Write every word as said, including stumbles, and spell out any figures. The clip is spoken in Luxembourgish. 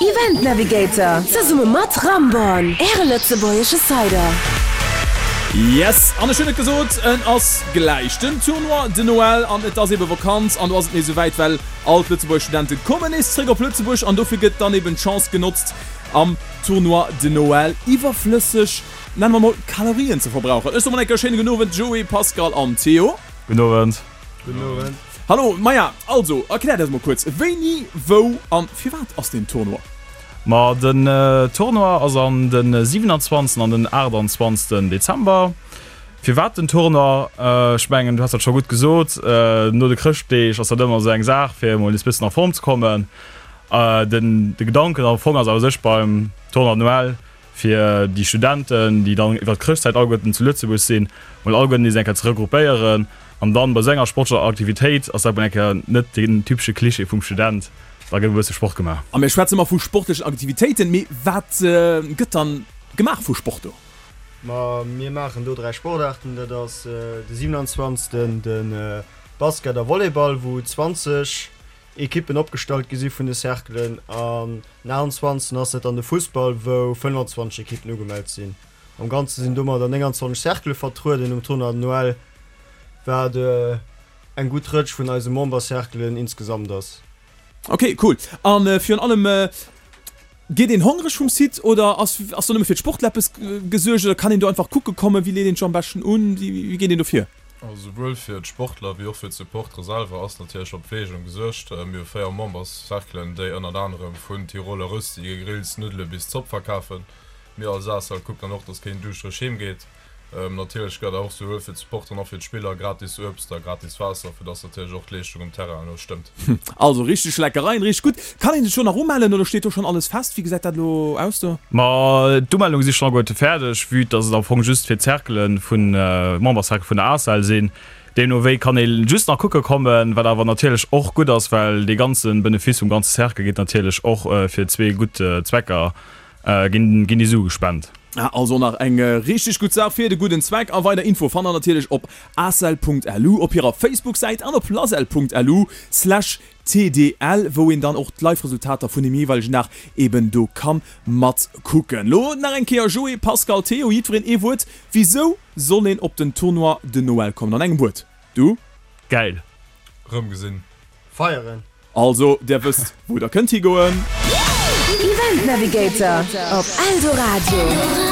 Event Navigator zesumme mat Ramborn, Äre lëtzebuergesche Cider. Yes, an ech hunn et gesot, en ass gläich den Tournoi de Noël an et ass ebe Vakanz an do ass et nees esouwäit, well all d'Lëtzebuerger Studente kommen nees zréck op Lëtzebuerg an dofir gëtt dann eben d'Chance genotzt am Tournoi de Noël iwwerflësseg, nenne mer mol, Kalorien ze verbrauchen. Ech soe mol eng Kéier schéine gudden Owend Joé, Pascal an Theo. Gudden Owend. Gudden Owend. Hallo, maja, also erkläert eis mol kuerz, wéini, wou an firwat ass deen Tournoi? Ma den Tournoi ass an den siwenanzwanzegsten an den aachtanzwanzegsten Dezember. Firwat den Tournoi? Ech mengen du has dat scho gutt gesot, no de Chrëschtdeeg ass dat ëmmer esou eng Saach fir emol nees bëssen a Form ze kommen. Den de Gedanken am Fong ass a sech beim Tournoi de Noël fir déi Studenten, déi dann iwwer d'Chrëschtzäit alleguerten zu Lëtzebuerg sinn, mol alleguerten nees eng Kéier ze regroupéieren an dann bei esou enger sportlecher Aktivitéit ass dat mol eng Kéier net den typesche Cliché vum Student. Da gëtt e bësse Sport gemaach. A mir schwätze mar vu sportlechen Aktivitéiten, mee wat gëtt dann gemaach vu Sport do? Ma mir maachen do dräi Sportaarten, dat ass de siewenanzwanzegsten de Basket a Volleyball, wou zwanzeg Ekippen opgestallt gi si vun de Cerclen, an den aachtundzwanzegsten ass dat dann de Fussball, wou fënnwanzwanzeg Ekippen ugemellt sinn. Am Ganze sinn domadder nénganzwanzeg Cerclë vertrueden um Tournoi de Noël, wat eng gutt Rëtsch vun eise Membercerclen insgesamt ass. Ok, cool. An virun allem, geet een hongreg vum Site oder ass ass do nëmme fir d'Sportler eppes gesuergt oder kann een do einfach kucke kommen? Wéi leet een sech am beschten un? Wéi geet een do vir? Also souwuel fir d'Sportler wéi och fir d'Supportere selwer ass natierlech op Pfleegung gesuergt. Mir hu véier Memberscerclen, déi ënnert anerem vun Tiroler Rösti, Gegrills, Nuddele bis Zopp verkafen. Mir als ACEL kucken dann och, dass keen duuschtereg heem geet. Natierlech gëtt och souwuel fir d'Supporteren a fir d'Spiller gratis Uebst a gratis Waasser, fir dass natierlech och d'Leeschtung um Terrain elo stëmmt. Also richteg Leckereien, richteg gutt. Kann een sech do nach umellen oder steet do schonn alles fest? Wéi gesäit dat elo aus do? Ma d'Umellunge si schonn alleguerte fäerdeg, vue dass et am Fong just fir d'Cerclen vun, d'Membercercle vun der ACEL sinn. Deemno wéi kann ee just nach kucke kommen, wat awer natierlech och gutt ass, well dee ganze Benefice vum ganze Cercle geet natierlech och fir zwee gutt Zwecker. Ginn ginn déi Sue gespent. Ah, also nach eng richteg gutt Saach fir de gudden Zweck. A weider Info fannt der natierlech op acel.lu, op hirer Facebook-Säit an op lasel.lu slash tdl, wou een dann och d'Live-Resultater vun dem jeeweilegen Dag eben do ka mat kucken. Lo nach eng Kéier Joé, Pascal, Théo, jiddwereen ee Wuert, Wisou soll een op den Tournoi de Noël kommen? An engem Wuert, du? Gäil. Rëmgesinn. Feieren. Also, der wësst wou der kënnt higoen. Event Navigator op Eldoradio.